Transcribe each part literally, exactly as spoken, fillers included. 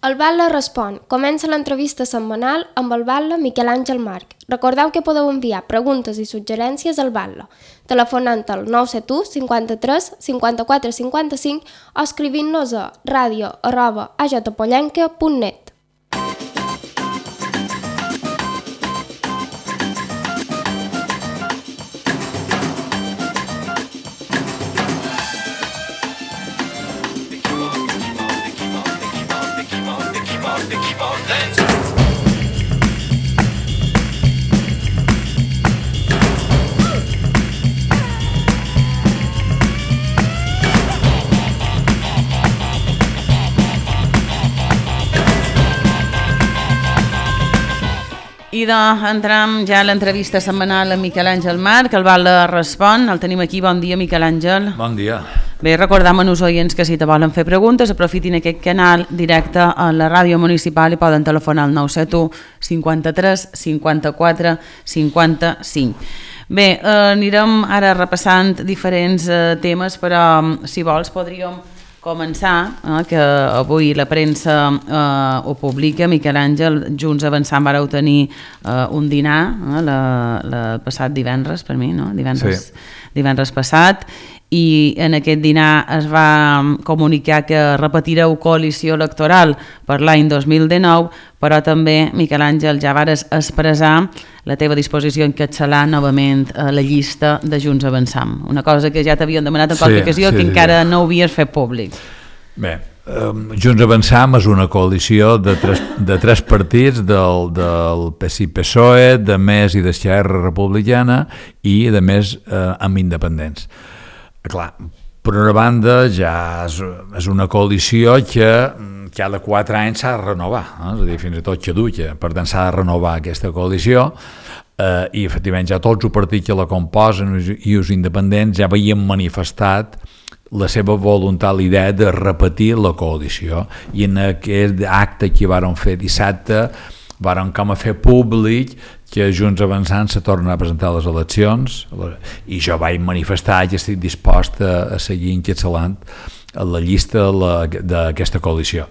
El Batlle respon. Comença l'entrevista setmanal amb el Batlle Miquel Àngel March. Recordeu que podeu enviar preguntes i suggerències al Batlle, telefonant al nou set u cinquanta-tres cinquanta-quatre cinquanta-cinc o escrivint-nos a radio arroba a j pollenca punt net. I d'entram ja a l'entrevista setmanal amb Miquel Àngel March, el Batlle respon. El tenim aquí. Bon dia, Miquel Àngel. Bon dia. Bé, recordam als oients que si te volen fer preguntes aprofitin aquest canal directe a la ràdio municipal i poden telefonar al nou set u cinquanta-tres cinquanta-quatre cinquanta-cinc. Bé, eh, anirem ara repassant diferents eh, temes, però si vols podríem començar, eh, que avui la premsa eh, ho publica. Miquel Àngel, Junts Avançant vareu tenir eh, un dinar eh, la, la passat divendres, per mi, no? Divendres, sí. divendres passat, i en aquest dinar es va comunicar que repetireu coalició electoral per l'any dos mil dinou, però també, Miquel Àngel, ja vares expressar la teva disposició a encapçalar novament la llista de Junts Avançant. Una cosa que ja t'havien demanat en qualque sí, ocasió, sí, que sí, encara sí. no ho havies fet públic. Bé, um, Junts Avançant és una coalició de tres, de tres partits, del, del P S I P S O E, de més i d'Esquerra Republicana i de més eh, amb independents. Clar, per una banda ja és, és una coalició que cada quatre anys s'ha de renovar, eh? És a dir, fins i tot caduca, per tant s'ha de renovar aquesta coalició eh, i efectivament ja tots els partits que la composen i els independents ja havien manifestat la seva voluntat, la idea de repetir la coalició, i en aquest acte que varen fer dissabte varen com a fer públic que Junts Avançant se torna a presentar a les eleccions, i jo vaig manifestar que estic dispost a, a seguir encapçalant la llista d'aquesta coalició.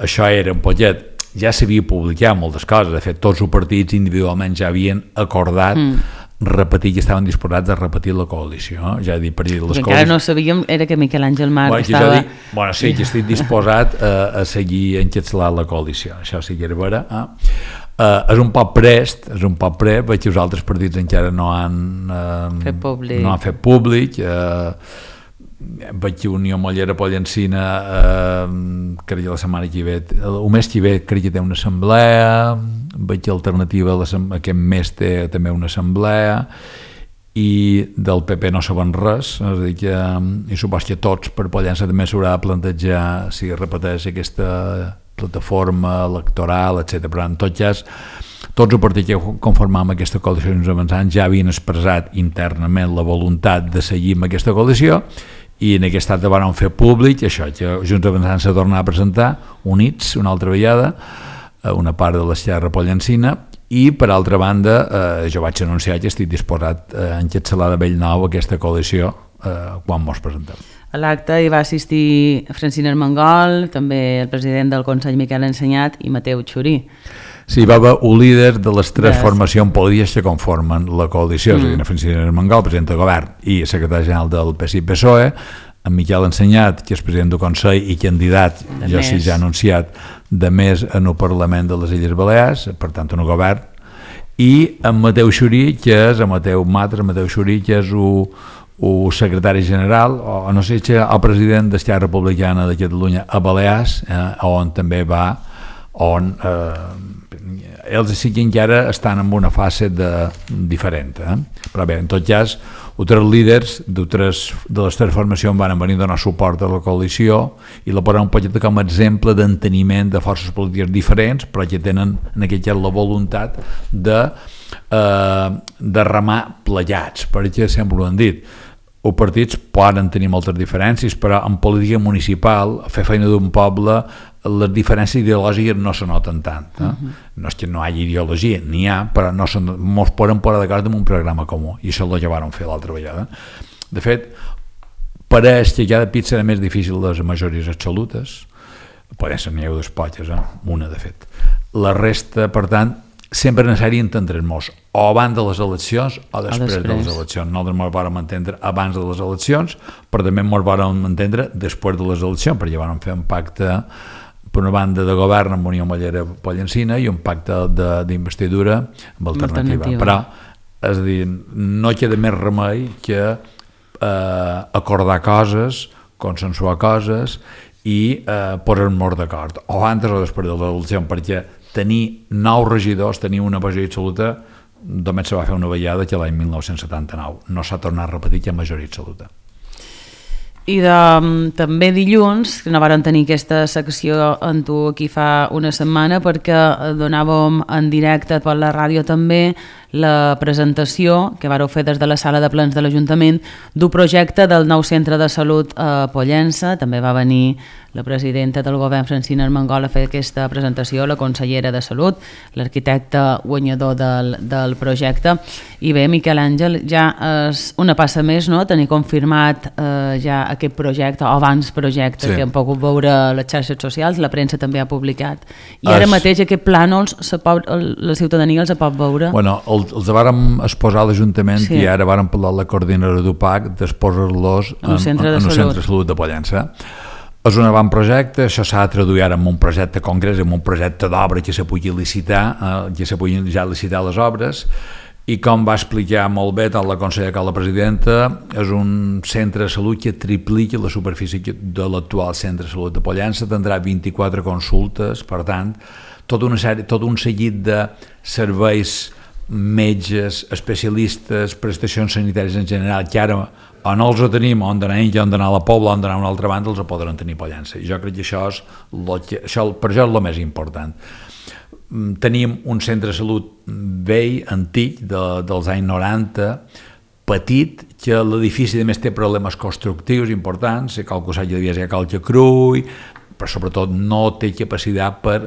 Això era un poquet, ja s'havia publicat moltes coses, de fet tots els partits individualment ja havien acordat mm. repetir, que estaven disposats a repetir la coalició. Ja dic, per dir, les encara coalicions... no sabíem, era que Miquel Àngel March bueno, estava... Dic, bueno, sí, que estic disposat a, a seguir encapçalant la coalició, això sí que era vera. Eh? Uh, és un poc prest, és un poc prest, veig que els altres partits encara no han, uh, fet, públic. No han fet públic. Uh, veig que Unió Mollera Pollencina, uh, crec que la setmana que ve, el mes que ve crec que té una assemblea, veig que Alternativa aquest mes té també una assemblea, i del P P no saben res, és a dir que, i supos que tots per Pollença també s'haurà de plantejar si repeteix aquesta plataforma electoral, etcètera. Però en tot cas, tots els partits que conformàvem aquesta coalició Junts Avançant ja havien expressat internament la voluntat de seguir amb aquesta coalició, i en aquest acte van fer públic això, que Junts Avançant se torna a presentar units una altra vegada, una part de l'Esquerra Pollencina, i per altra banda eh, jo vaig anunciar que estic disposat a encapçalar de bell nou aquesta coalició eh, quan mos presentem. A l'acte hi va assistir Francina Armengol, també el president del Consell Miquel Ensenyat i Mateu Xurí. Sí, va haver un líder de les tres yes. formacions polítiques que conformen la coalició, mm. és a dir, Francina Armengol, president del govern i secretari general del P S I P S O E, en Miquel Ensenyat, que és president del Consell i candidat, de ja més. sí ja anunciat, de més en el Parlament de les Illes Balears, per tant en el govern, i en Mateu Xurí, que és, en Mateu Matre, Mateu Xurí, que és un el secretari general, o no sé si el president d'Esquerra Republicana de Catalunya a Balears, eh, on també va, on eh, ells sí que encara estan en una fase de, diferent. Eh? Però bé, en tot cas, altres líders de les tres formacions van venir a donar suport a la coalició i la posen un poquet com a exemple d'enteniment de forces polítiques diferents, però que tenen en aquest cas la voluntat de, eh, de remar plegats, perquè sempre ho han dit. Els partits poden tenir moltes diferències, però en política municipal, fer feina d'un poble, les diferències ideològiques no se noten tant. Eh? Uh-huh. No és que no hi hagi ideologia, n'hi ha, però no se, mos poden posar d'acord amb un programa comú, i això és el que van fer l'altra vegada. De fet, pareix que cada pit serà més difícil les majories absolutes, Pollença n'hi ha dos potges, eh? Una de fet. La resta, per tant, sempre necessari entendre'ns o abans de les eleccions o després, després. de les eleccions. Nosaltres ens vàrem entendre abans de les eleccions, però també ens vàrem entendre després de les eleccions, perquè vàrem fer un pacte per una banda de govern amb Unió Mollera Pollencina i un pacte d'investidura amb alternativa. alternativa. Però, és a dir, no queda més remei que eh, acordar coses, consensuar coses i eh, posar-nos d'acord, o antes o després de l'elecció, perquè tenir nou regidors, tenir una majoria absoluta, només se va fer una vegada que l'any mil nou-cents setanta-nou. No s'ha tornat a repetir que majoria absoluta. I de, també dilluns, que no vàrem tenir aquesta secció amb tu aquí fa una setmana, perquè donàvem en directe per la ràdio també la presentació que vareu fer des de la sala de plens de l'Ajuntament d'un projecte del nou centre de salut a Pollença. També va venir la presidenta del govern, Francina Armengol, a fer aquesta presentació, la consellera de Salut, l'arquitecte guanyador del, del projecte. I bé, Miquel Àngel, ja és una passa més, no?, tenir confirmat eh, ja aquest projecte, o abans projecte, sí, que hem pogut veure a les xarxes socials, la premsa també ha publicat. I ara es... mateix aquest plànols la ciutadania els pot veure? Bueno, el, els vàrem exposar a l'Ajuntament, sí, i ara vàrem parlar amb la coordinadora d'U P A C d'exposar-los en, en, en un centre de salut de Pollença. És un avantprojecte, això s'ha de traduir ara en un projecte concret, en un projecte d'obra que se pugui licitar, eh, que se puguin ja licitar les obres, i com va explicar molt bé tant la consellera com la presidenta, és un centre de salut que triplica la superfície de l'actual centre de salut de Pollença, tindrà vint-i-quatre consultes, per tant, tot, una sèrie, tot un seguit de serveis, metges, especialistes, prestacions sanitàries en general, que ara o no els ho tenim, on d'anar ells, on d'anar a la Pobla, on d'anar a una altra banda, els ho podran tenir a Pollença. I jo crec que això és, lo que, això, per això és el més important. Tenim un centre de salut vell, antic, de, dels anys noranta, petit, que l'edifici a més té problemes constructius importants, qualque cosa devia ser qualque crull, però sobretot no té capacitat per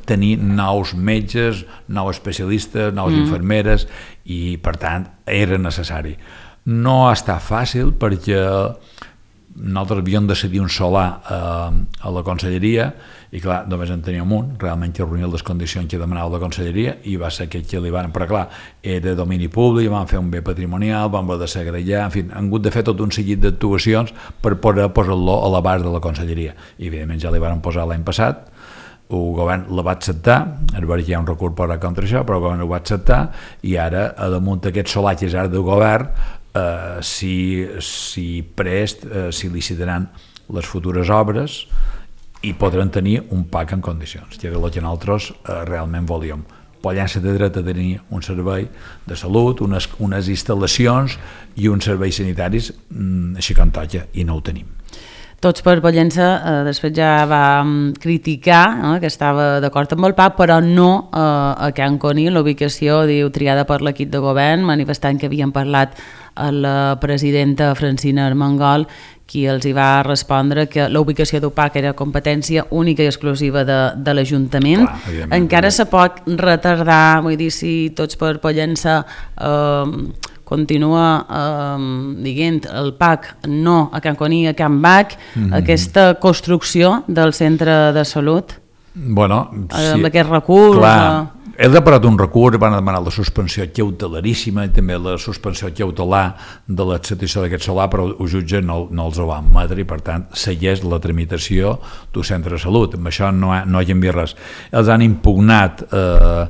tenir nous metges, nous especialistes, nous mm. infermeres, i per tant era necessari. No ha estat fàcil perquè nosaltres havíem de cedir un solar a, a la conselleria i clar, només en teníem un, realment que reunia les condicions que demanava la conselleria i va ser aquest que li van, però clar, era domini públic, vam fer un bé patrimonial, vam haver de segregar, en fi, han hagut de fer tot un seguit d'actuacions per poder posar-lo a l'abast de la conselleria i evidentment ja li van posar l'any passat. El govern la va acceptar, a veure que hi ha un recurs per contra això, però el govern ho va acceptar i ara, a damunt d'aquest solar que és ara del govern, eh, si, si prest, eh, si licitaran les futures obres i podran tenir un P A C en condicions, que era el que nosaltres eh, realment volíem. Pollença té dret a tenir un servei de salut, unes, unes instal·lacions i uns serveis sanitaris, mm, així com toca, i no ho tenim. Tots per Pollença eh, després ja va criticar eh, que estava d'acord amb el P A C, però no eh, a Can Conill, la ubicació diu triada per l'equip de govern, manifestant que havien parlat a la presidenta Francina Armengol, qui els hi va respondre que la ubicació d'U P A C era competència única i exclusiva de, de l'Ajuntament. Encara se pot retardar, vull dir, si Tots per Pollença eh, continua eh, dient el P A C no a Can Conill, a Can Bac, mm-hmm. aquesta construcció del centre de salut, bueno, sí, amb aquest recurs... Clar. Eh, He deparat un recurs, van demanar la suspensió cautelaríssima i també la suspensió cautelar de l'acceptació d'aquest solar, però el jutge no, no els ho va admetre i per tant segueix la tramitació d'un centre de salut. Amb això no, ha, no hi ha vist res. Els han impugnat eh,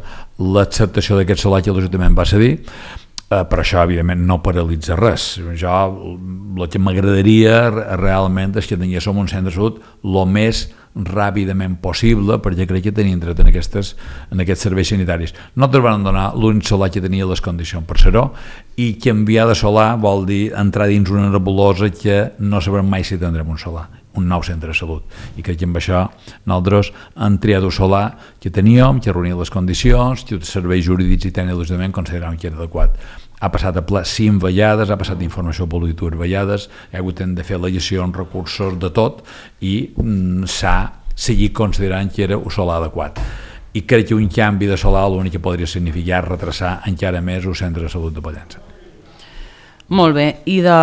l'acceptació d'aquest solar que l'Ajuntament va cedir, eh, però això evidentment no paralitza res. Jo, el que m'agradaria realment és que tinguéssim un centre de salut el més ràpidament possible, perquè crec que tenim dret en, aquestes, en aquests serveis sanitaris. Nosaltres vam donar l'únic solar que tenia les condicions per ser-ho, i canviar de solar vol dir entrar dins una nebulosa que no sabrem mai si tindrem un solar, un nou centre de salut. I crec que amb això nosaltres hem triat un solar que teníem, que reunia les condicions, que els serveis jurídics i tècnics de l'Ajuntament consideràvem que era adequat. Ha passat a ple cinc vegades, ha passat d'informació pública dues vegades, ha hagut de fer legislacions, recursos, de tot, i mm, s'ha seguit considerant que era un solar adequat. I crec que un canvi de solar l'únic que podria significar retrasar encara més el centre de salut de Pollença. Molt bé, i de,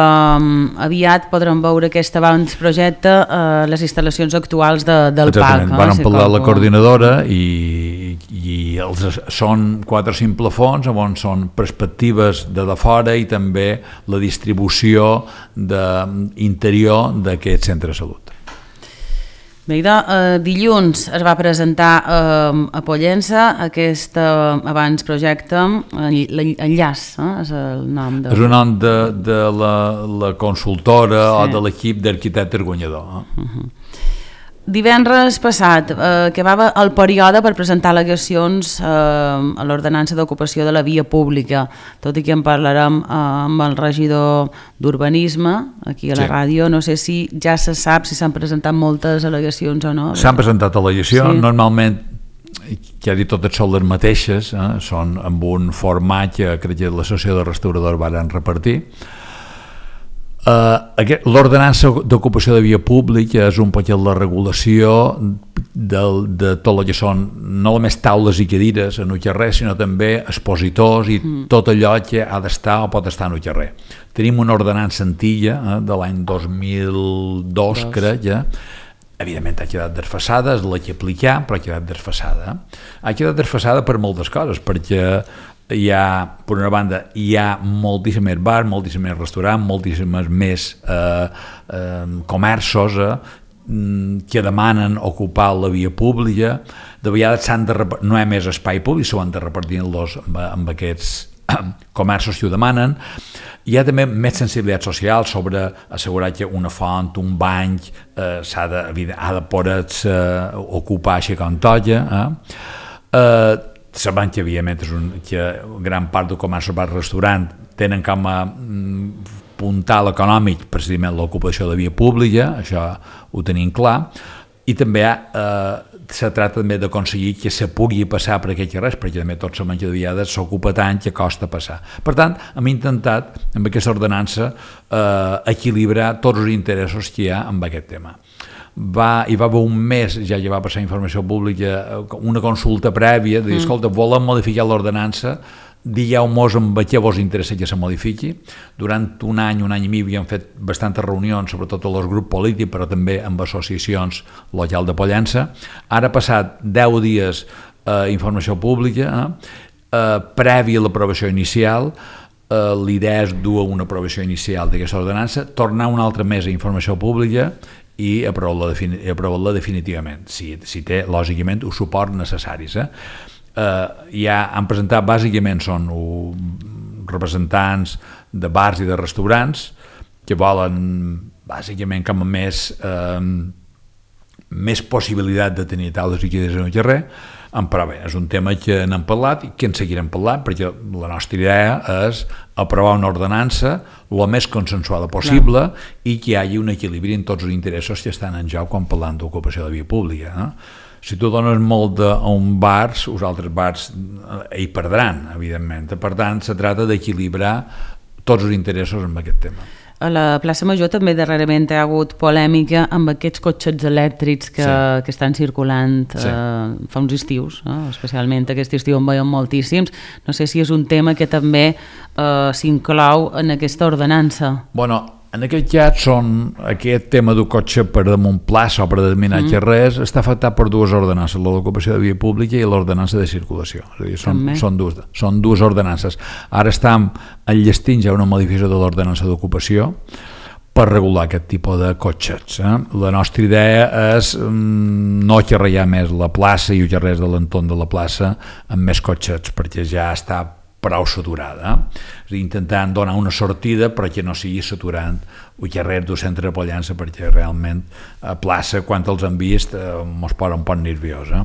aviat podrem veure aquest avantprojecte a eh, les instal·lacions actuals de, del Exactament. parc. Van eh? parlar la coordinadora i, i els, són quatre o cinc plafons on són perspectives de de fora i també la distribució de, interior d'aquest centre de salut. Bé, de, eh, dilluns es va presentar eh, a Pollença aquest eh, abans projecte, l'enllaç, eh, és el nom de... És el nom de, de la, la consultora sí. o de l'equip d'arquitectes guanyador. Eh? Uh-huh. Divendres passat, eh, que va el període per presentar al·legacions eh, a l'ordenança d'ocupació de la via pública, tot i que en parlarem eh, amb el regidor d'Urbanisme, aquí a la sí. ràdio. No sé si ja se sap si s'han presentat moltes al·legacions o no. S'han presentat al·legacions, sí. Normalment, ja dit, totes són les mateixes, eh? Són amb un format que crec que l'associació de restauradors van repartir. Uh, l'ordenança d'ocupació de via pública és un poquet la regulació de, de tot el que són no només taules i cadires en un carrer, sinó també expositors i mm. tot allò que ha d'estar o pot estar en un carrer. Tenim una ordenança antiga eh, de l'any dos mil dos, dos. crec, ja. Evidentment ha quedat desfasada, és la que aplicar, però ha quedat desfasada. Ha quedat desfasada per moltes coses, perquè hi ha, per una banda, hi ha moltíssims més bars, moltíssims més restaurants, moltíssims més eh, eh, comerços eh, que demanen ocupar la via pública. De vegades s'han de repartir, no hi ha més espai públic, s'ho han de repartir-los amb, amb aquests comerços que ho demanen. Hi ha també més sensibilitat social sobre assegurar que una font, un bany eh, s'ha de, ha de poder-se eh, ocupar així com toca. Eh? Eh, sabem que, evidentment, és un, que gran part del comerç bar restaurant tenen com a mm, puntal econòmic precisament l'ocupació de via pública, això ho tenim clar, i també eh, se tracta també d'aconseguir que se pugui passar per aquells carrers, perquè també tots sabem que de vegades s'ocupa tant que costa passar. Per tant, hem intentat, amb aquesta ordenança, eh, equilibrar tots els interessos que hi ha amb aquest tema. Va, hi va haver un mes, ja que va passar informació pública, una consulta prèvia de dir, escolta, volem modificar l'ordenança, digueu-nos amb què vos interessa que se modifiqui. Durant un any, un any i mig havíem fet bastantes reunions, sobretot amb els grups polítics, però també amb associacions locals de Pollença. Ara ha passat deu dies eh, informació pública, eh, eh, prèvia a l'aprovació inicial. Eh, l'idea és dur a una aprovació inicial d'aquesta ordenança, tornar un altre mes a informació pública i aprovar-la defini aprovar definitivament, si, si té, lògicament, els suports necessaris. Eh? Eh, ja han presentat, bàsicament, són uh, representants de bars i de restaurants que volen, bàsicament, com a més, eh, més possibilitat de tenir taules i cadires en el carrer, però bé, és un tema que n'hem parlat i que en seguirem parlant, perquè la nostra idea és aprovar una ordenança el més consensuada possible Clar. I que hi hagi un equilibri en tots els interessos que estan en joc quan parlant d'ocupació de via pública. No? Si tu dones molt a un bars, els altres bars hi perdran, evidentment. Per tant, se tracta d'equilibrar tots els interessos en aquest tema. A la plaça Major també darrerament hi ha hagut polèmica amb aquests cotxets elèctrics que, sí. que estan circulant sí. eh, fa uns estius, eh? Especialment aquest estiu en veiem moltíssims. No sé si és un tema que també eh, s'inclou en aquesta ordenança. Bueno, en aquest cas són, aquest tema del cotxe per damunt plaça o per determinar mm. res està afectat per dues ordenances, l'ocupació de via pública i l'ordenança de circulació. És a dir, són, són, dues, són dues ordenances. Ara estem enllestint ja una modificació de l'ordenança d'ocupació per regular aquest tipus de cotxets. Eh? La nostra idea és mm, no carregar més la plaça i els carrers de l'entorn de la plaça amb més cotxets, perquè ja està prou saturada. Eh? És a dir, intentant donar una sortida però que no sigui saturant el carrer del centre de Pollença, perquè realment a plaça, quan els han vist, eh, mos posa un poc nerviós. Eh?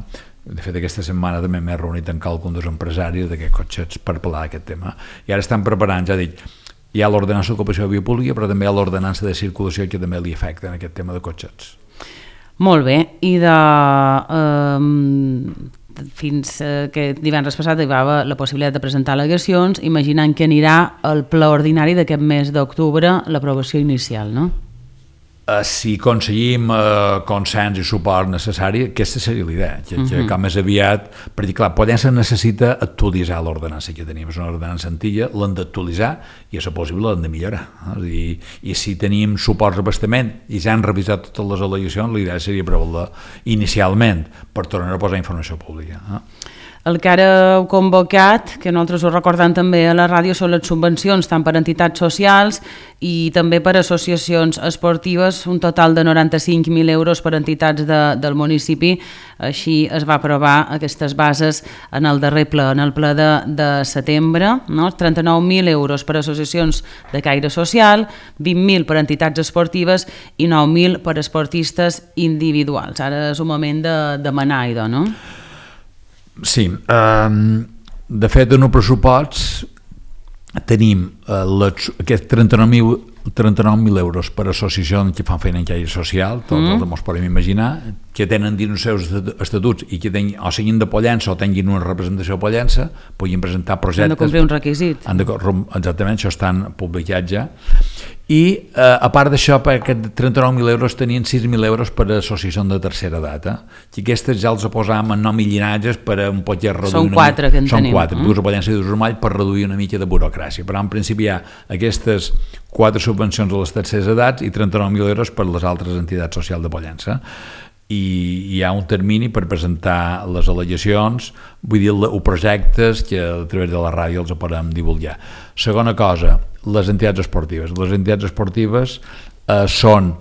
De fet, aquesta setmana també m'he reunit amb qualcun dels empresaris d'aquests cotxets per parlar d'aquest tema. I ara estan preparant, ja dic, hi ha l'ordenança d'ocupació de via pública, però també hi ha l'ordenança de circulació que també li afecta en aquest tema de cotxets. Molt bé, i de... Eh, fins eh, que divendres passat hi va haver la possibilitat de presentar al·legacions, imaginant que anirà al ple ordinari d'aquest mes d'octubre l'aprovació inicial, no? Uh, si aconseguim uh, consens i suport necessari, aquesta seria l'idea, que, que com més aviat, perquè clar, Pollença necessita actualitzar l'ordenança que tenim, és una ordenança antiga, l'hem d'actualitzar i a ser possible l'hem de millorar. Eh? I, I si tenim suports d'abastament i ja han revisat totes les al·legacions, l'idea seria provar-la inicialment per tornar a posar informació pública. Eh? El que ara heu convocat, que nosaltres ho recordem també a la ràdio, són les subvencions tant per entitats socials i també per associacions esportives, un total de noranta-cinc mil euros per entitats de, del municipi. Així es va aprovar aquestes bases en el darrer ple, en el ple de, de setembre, no? trenta-nou mil euros per associacions de caire social, vint mil per entitats esportives i nou mil per esportistes individuals. Ara és un moment de demanar, idò, no? Sí, um, de fet en el pressupost tenim uh, les, aquests trenta-nou mil euros per associacions que fan feina en caire social, tots mm. els ens podem imaginar, que tenen dins els seus estatuts i que ten, o siguin de Pollença o tinguin una representació de Pollença, puguin presentar projectes. Han de complir un requisit. Han de, exactament, això estan publicats ja. I eh, a part d'això, per aquests trenta-nou mil euros tenien sis mil euros per a associacions de tercera edat, eh? I aquestes ja els posàvem en nom i llinatges per a un poder reduir... Són quatre una... que en Són tenim. Són quatre, dues a Pollença i dues a Urmall, per reduir una mica de burocràcia. Però en principi hi ha aquestes quatre subvencions a les terceres edats i trenta-nou mil euros per les altres entitats socials de Pollença. I hi ha un termini per presentar les al·legacions, vull dir, els projectes que a través de la ràdio els podem divulgar. Segona cosa, les entitats esportives. Les entitats esportives eh, són,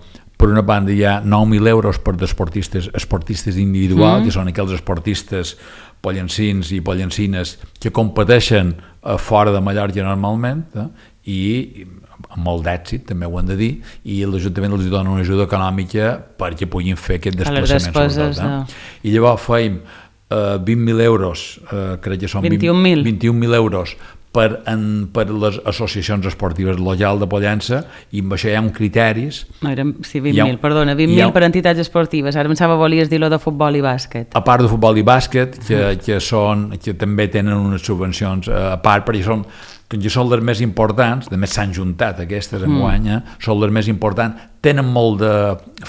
per una banda, hi ha nou mil euros per esportistes, esportistes individuals, mm. que són aquells esportistes pollencins i pollencines que competeixen eh, fora de Mallorca normalment, eh, i amb molt d'èxit, també ho hem de dir, i l'Ajuntament els dona una ajuda econòmica perquè puguin fer aquest desplaçament. Sobretot, eh? I llavors feim eh, vint mil euros, eh, crec que són vint-i-un mil vint-i-un mil euros per, en, per les associacions esportives locals de Pollença, i amb això hi ha uns criteris... No, eren, sí, vint mil, perdona, vint mil per entitats esportives. Ara pensava volies dir-lo de futbol i bàsquet. A part de futbol i bàsquet, que, que, són, que també tenen unes subvencions a part, perquè són, que són les més importants, de més s'han juntat aquestes en guany, eh? Són les més importants, tenen molt de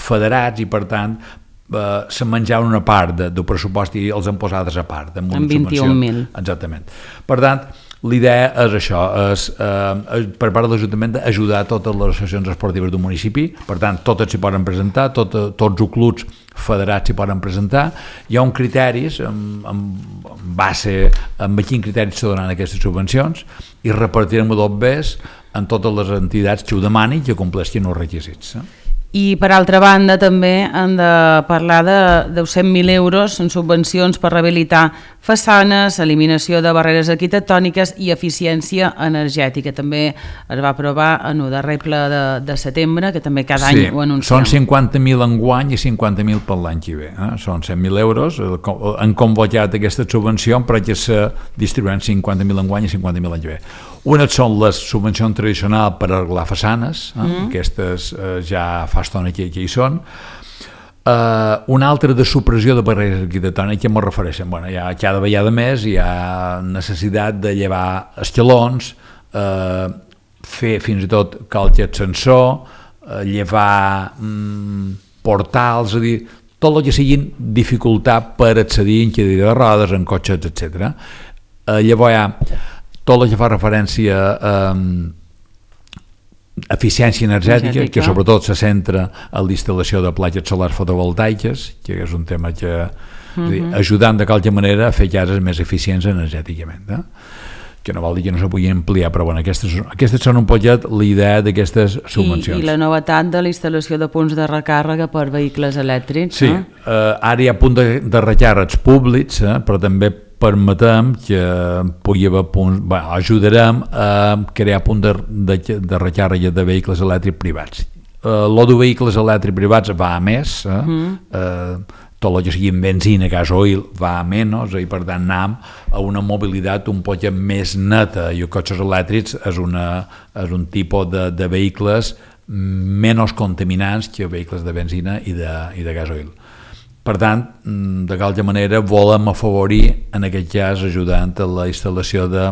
federats i per tant eh, se'n menjaven una part de, del pressupost i els han posades a part. Amb, amb vint-i-un mil. Exactament. Per tant, l'idea és això, és eh, per part de l'Ajuntament d'ajudar totes les associacions esportives del municipi, per tant, totes s'hi poden presentar, tot, tots els clubs federats s'hi poden presentar. Hi ha uns criteris, amb, amb, amb base, amb quins criteris se donen aquestes subvencions, i repartirem-ho dos bes en totes les entitats que ho demanin i que compleixin els requisits. Eh? I per altra banda també hem de parlar de dos cents mil euros en subvencions per rehabilitar façanes, eliminació de barreres arquitectòniques i eficiència energètica. També es va aprovar en el darrer ple de, de setembre, que també cada sí, any ho anunciem. Són cinquanta mil enguany i cinquanta mil per l'any que ve. Eh? Són cent mil euros, han convocat aquesta subvenció perquè se distribuïran cinquanta mil enguany i cinquanta mil l'any que ve. Una són les subvencions tradicionals per arreglar façanes, eh? mm. aquestes eh, ja fa estona que, que hi són. Uh, una altra de supressió de barreres arquitectòniques, que m'ho refereixen. Bueno, ja cada vegada més hi ha necessitat de llevar escalons, uh, fer fins i tot calci ascensor, uh, llevar um, portals, és a dir, tot el que siguin dificultat per accedir en cadira de rodes, en cotxes, etcètera. Uh, llavors hi ha tot el que fa referència a um, eficiència energètica, energètica, que sobretot se centra en la instal·lació de platges solars fotovoltaiques, que és un tema que uh-huh. dir, ajudant de qualque manera a fer cases més eficients energèticament, eh? Que no vol dir que no se pugui ampliar, però bueno, aquestes, aquestes són un poquet la idea d'aquestes subvencions. I, I la novetat de la instal·lació de punts de recàrrega per vehicles elèctrics, sí, no? eh, ara hi ha punts de, de recàrrecs públics, eh, però també permetem que pugui haver punts, bé, ajudarem a crear punts de, de, de recàrrega de vehicles elèctrics privats. Uh, lo de vehicles elèctrics privats va a més, eh? Mm. Uh, tot el que sigui en benzina, gasoil, va a menys, i per tant anem a una mobilitat un poc més neta, i els cotxes elèctrics és, una, és un tipus de, de vehicles menys contaminants que vehicles de benzina i de, i de gasoil. Per tant, de qualque manera volem afavorir, en aquest cas, ajudant a la instal·lació de,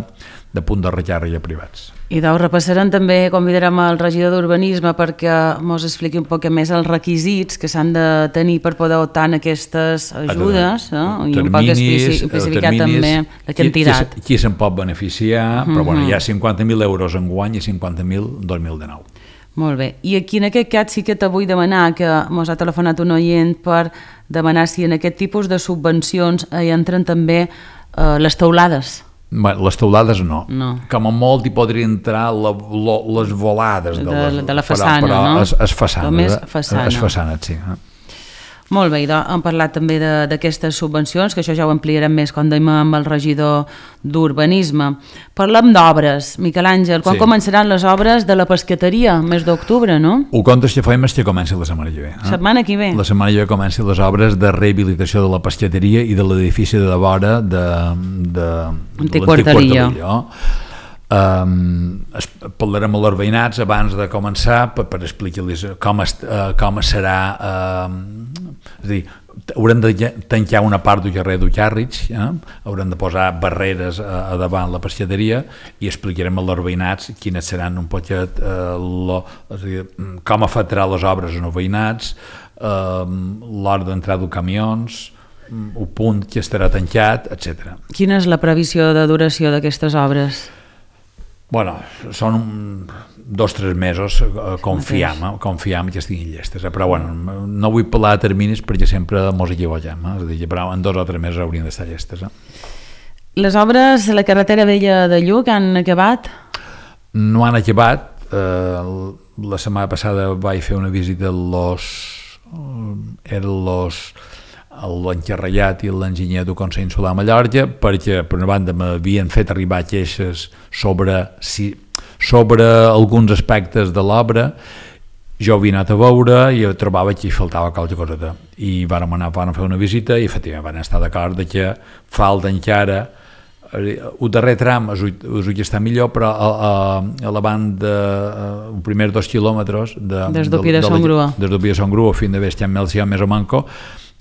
de punts de recàrrega privats. I doncs repassarem també, convidarem el regidor d'Urbanisme perquè ens expliqui un poc més els requisits que s'han de tenir per poder optar en aquestes ajudes, eh? I un poc especificar també la quantitat. Qui, qui se'n pot beneficiar, però bueno, hi ha cinquanta mil euros en guany i cinquanta mil dos mil dinou. Molt bé. I aquí en aquest cas sí que te vull demanar que ens ha telefonat un oient per demanar si en aquest tipus de subvencions hi entren també eh, les teulades. Bé, les teulades no. no. Com a molt hi podria entrar la, lo, les volades de, de, les, de la façana, però, però no? es, es façanes, Només façana. Es façanes, sí. Molt bé, doncs, hem parlat també d'aquestes subvencions, que això ja ho ampliarem més quan deim amb el regidor d'Urbanisme. Parlem d'obres. Miquel Àngel, quan sí. començaran les obres de la pesqueteria? Mes d'octubre, no? Ho comptes que fem és que comenci la setmana que ve. Eh? Setmana que ve? La setmana que ve comenci les obres de rehabilitació de la pesqueteria i de l'edifici de la vora de, de, de l'antic quarterillo. Um, parlarem amb els veïnats abans de començar per, per explicar-los com, est, uh, com serà uh, és a dir, haurem de tancar una part del carrer d'Ucàrrig, eh? Haurem de posar barreres a, a davant la pesqueteria i explicarem als veïnats quines seran un poquet uh, lo, és a dir, com afectarà les obres als veïnats, uh, l'hora d'entrada dels camions, el punt que estarà tancat, etcètera. Quina és la previsió de duració d'aquestes obres? Bueno, són un, dos o tres mesos, eh, confiam, eh, confiam que estiguin llestes, eh? Però bueno, no vull parlar de terminis perquè sempre mos equivoquem, eh? És a dir, però en dos o tres mesos haurien d'estar llestes. Eh? Les obres a la carretera vella de Lluc han acabat? No han acabat, eh, la setmana passada vaig fer una visita a los, eren los l'encarregat i l'enginyer del Consell Insular de Mallorca, perquè per una banda m'havien fet arribar queixes sobre, si, sobre alguns aspectes de l'obra. Jo havia anat a veure i trobava que hi faltava qualque coseta i vàrem anar a fer una visita i efectivament van estar d'acord de que falta encara el darrer tram és el que està millor, però a, a, a la banda els primers dos quilòmetres de, des d'Opí de Sant Grua des d'Opí de Sant Grua fins de Bestiam Melcià més o manco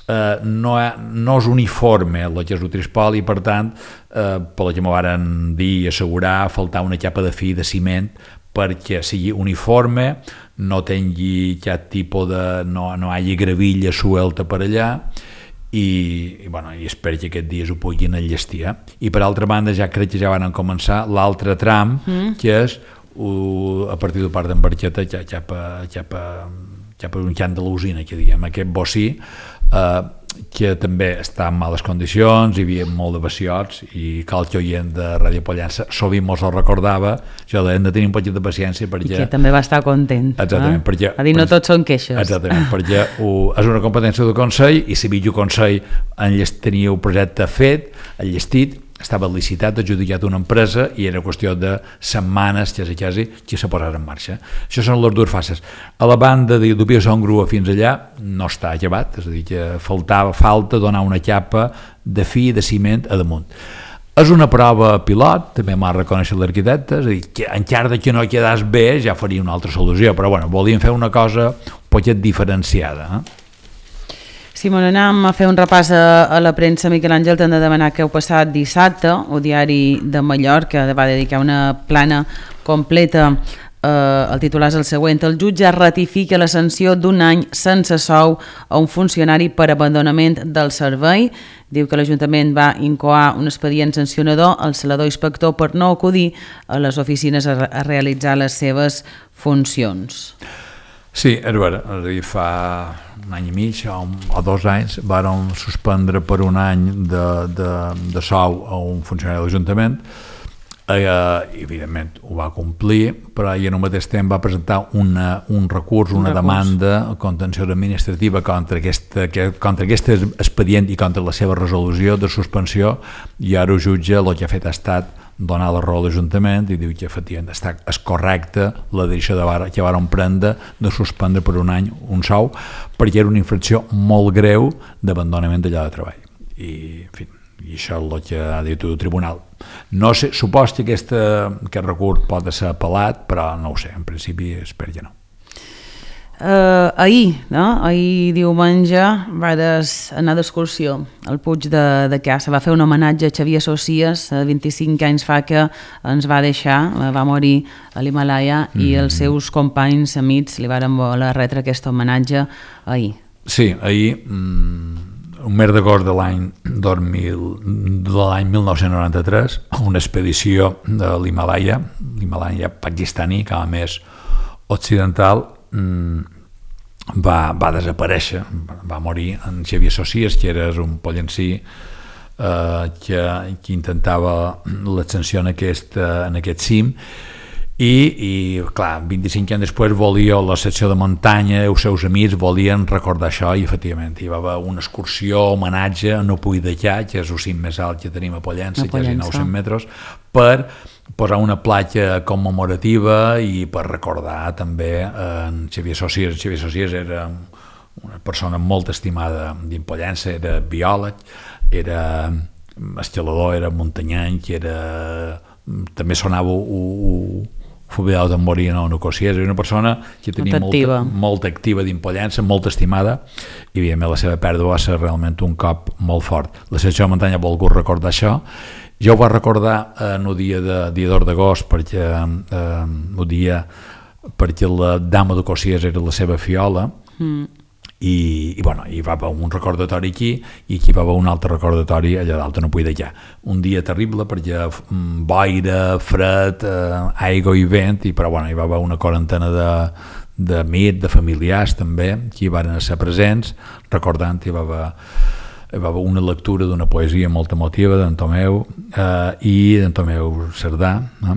Uh, no, no és uniforme el que és el trispol i per tant uh, pel que m'ho varen dir i assegurar faltar una capa de fi de ciment perquè sigui uniforme, no tingui cap tipus de no, no hagi gravilla suelta per allà i, i, bueno, i espero que aquests dies ho puguin enllestir, eh? I per altra banda ja crec que ja van començar l'altre tram mm. que és uh, a partir del parc d'Embarqueta cap a, cap a, cap a un camp de l'usina, que diguem, aquest bocí Uh, que també està en males condicions, hi havia molt de vaciots i qualque oient de Ràdio Pollença sovint mos el recordava, jo hem de tenir un poquet de paciència perquè... I que també va estar content. Exactament, eh? perquè... A dir, no tots són queixes. Exactament, perquè ho, és una competència del Consell i si el Consell tenia un projecte fet, enllestit, estava licitat, adjudicat una empresa i era qüestió de setmanes, quasi, quasi, que se posarà en marxa. Això són les dues fases. A la banda de d'Opí de Sant Grua fins allà no està acabat, és a dir, que faltava, falta donar una capa de fi de ciment a damunt. És una prova pilot, també m'ha reconèixer l'arquitecte, és a dir, que encara que no quedàs bé ja faria una altra solució, però bueno, volíem fer una cosa un poquet diferenciada, eh? Simon, anem a fer un repàs a, a la premsa. Miquel Àngel, t'han de demanar que heu passat dissabte, el diari de Mallorca va dedicar una plana completa, eh, el titular és el següent: el jutge ratifica la sanció d'un any sense sou a un funcionari per abandonament del servei. Diu que l'Ajuntament va incoar un expedient sancionador al celador inspector per no acudir a les oficines a, a realitzar les seves funcions. Sí, és vera, és a dir, fa un any i mig o, o dos anys vàrem suspendre per un any de, de, de sou a un funcionari de l'Ajuntament, eh, evidentment ho va complir, però i en el mateix temps va presentar una, un recurs, una un demanda contenciosa administrativa contra, aquesta, contra aquest expedient i contra la seva resolució de suspensió, i ara el jutge el que ha fet ha estat donar la raó a l'Ajuntament i diu que efectivament està, és correcta la decisió de bar, que varen prendre de suspendre per un any un sou perquè era una infracció molt greu d'abandonament de lloc de treball i, en fi, i això és el que ha dit el tribunal. No sé, supos que aquesta, aquest recurs pot ser apel·lat, però no ho sé, en principi espero que no. Uh, ahir, no? ahir diumenge vaig anar d'excursió al Puig de, de Casa. Va fer un homenatge a Xavier Socies, vint-i-cinc anys fa que ens va deixar, va morir a l'Himalaya mm. i els seus companys, amics, li varen voler retre aquest homenatge ahir. Sí, ahir, mm, un mes d'agost de l'any dos mil, de l'any mil nou-cents noranta-tres, una expedició de l'Himalaya, l'Himalaya pakistani, que a més occidental, Va, va desaparèixer, va morir en Xavier Socies, que era un pollencí eh, que, que intentava l'ascensió en, aquest, en aquest cim i, i clar, vint-i-cinc anys després volia la secció de muntanya, els seus amics volien recordar això i efectivament hi va haver una excursió, homenatge a No Puig de Llà, que és el cim més alt que tenim a Pollença, quasi nou-cents metres, per posar una platja commemorativa i per recordar també en Xavier Socies. Xavier Socies era una persona molt estimada dins Pollença, era biòleg, era escalador, era muntanyenc, era... també sonava un fubilado tamborí en una cosies, era una persona que tenia molt activa, molt, molt activa dins Pollença, molt estimada, i evidentment la seva pèrdua va ser realment un cop molt fort. La secció de muntanya ha volgut recordar això. Jo ho va recordar en el dia de dia dos d'agost perquè eh, el dia perquè la dama de Cosies era la seva fiola mm. i, i bueno, hi va haver un recordatori aquí i aquí va haver un altre recordatori allà dalt a No Puig de Llà. Un dia terrible perquè boira, fred, eh, aigua i vent, i, però bueno, hi va haver una quarantena de d'amics, de familiars també, que hi van ser presents recordant, hi va haver hi va haver una lectura d'una poesia molt emotiva d'en Tomeu eh, i d'en Tomeu Cerdà, eh?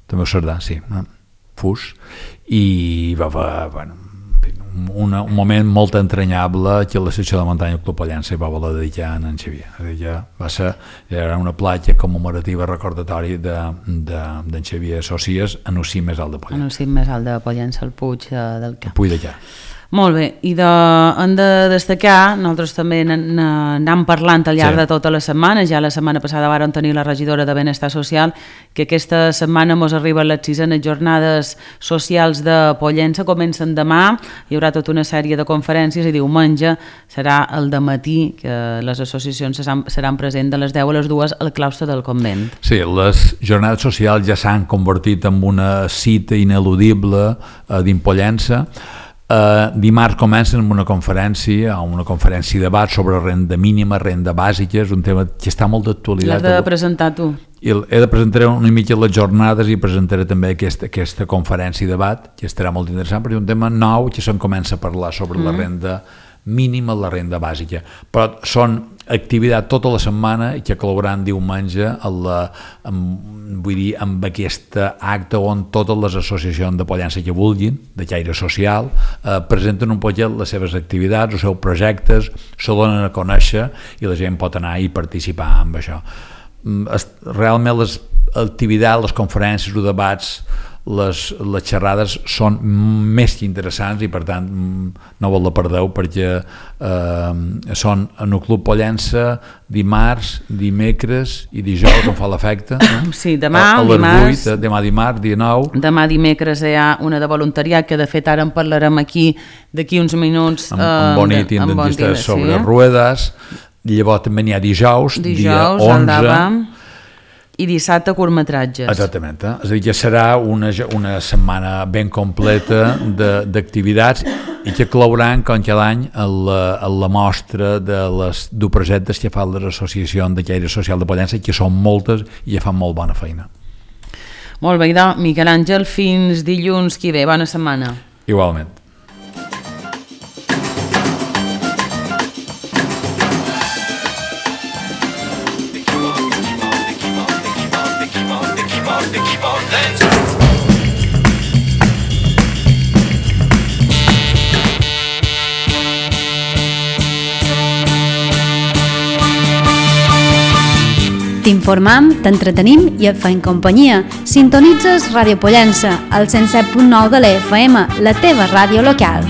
Tomeu Cerdà, sí, eh? Fus, i hi va haver bueno, una, un moment molt entranyable que la secció de muntanya del Club Pollença hi va voler dedicar a en Xavier. És a dir, ja va ser era una platja commemorativa recordatori d'en de, de, Xavier Socies en el cim més alt de Pollença. En el cim més alt de Pollença, el Puig de, del Cap. El Puig de Llà. Molt bé, i de, hem de destacar, nosaltres també n'anem parlant al llarg sí. de tota la setmana, ja la setmana passada vàrem tenir la regidora de Benestar Social, que aquesta setmana mos arriben les sisenes jornades socials de Pollença, comencen demà, hi haurà tota una sèrie de conferències i diumenge serà el dematí, que les associacions seran, seran presents de les deu a les dues al claustre del convent. Sí, les jornades socials ja s'han convertit en una cita ineludible eh, dins Pollença. Uh, dimarts comencen amb una conferència una conferència de debat sobre renda mínima, renda bàsica, és un tema que està molt d'actualitat. L'has de presentar tu. I he de presentar una mica les jornades i presentaré també aquesta, aquesta conferència de debat, que estarà molt interessant perquè és un tema nou que se'n comença a parlar sobre mm. la renda mínima, la renda bàsica, però són activitat tota la setmana i que col·laboraran diumenge a la, amb, vull dir, amb aquest acte on totes les associacions de Pollença que vulguin, de caire social, eh, presenten un poquet les seves activitats, els seus projectes, se donen a conèixer i la gent pot anar i participar amb això. Realment les activitats, les conferències, els debats, les, les xerrades són més que interessants i per tant no vol la perdeu perquè eh, són en el Club Pollença dimarts, dimecres i dijous, on fa l'efecte, no? Sí, demà, a, a les dimarts, vuit, demà dimarts, dia nou. Demà dimecres hi ha una de voluntariat que de fet ara en parlarem aquí d'aquí uns minuts amb, amb Bonit i en dentistes sobre sí. ruedes. Llavors també n'hi ha dijous, dijous dia onze. I dissabte curtmetratges. Exactament, eh? És a dir, que serà una, una setmana ben completa d'activitats i que clouran com cada any a la, a la mostra de les dos projectes que fan les associacions de caire social de Pollença, que són moltes i que fan molt bona feina. Molt bé, idò, Miquel Àngel, fins dilluns que ve, bona setmana. Igualment. T'informam, t'entretenim i et faim companyia. Sintonitzes Ràdio Pollença, al cent set punt nou de l'E F M, la teva ràdio local.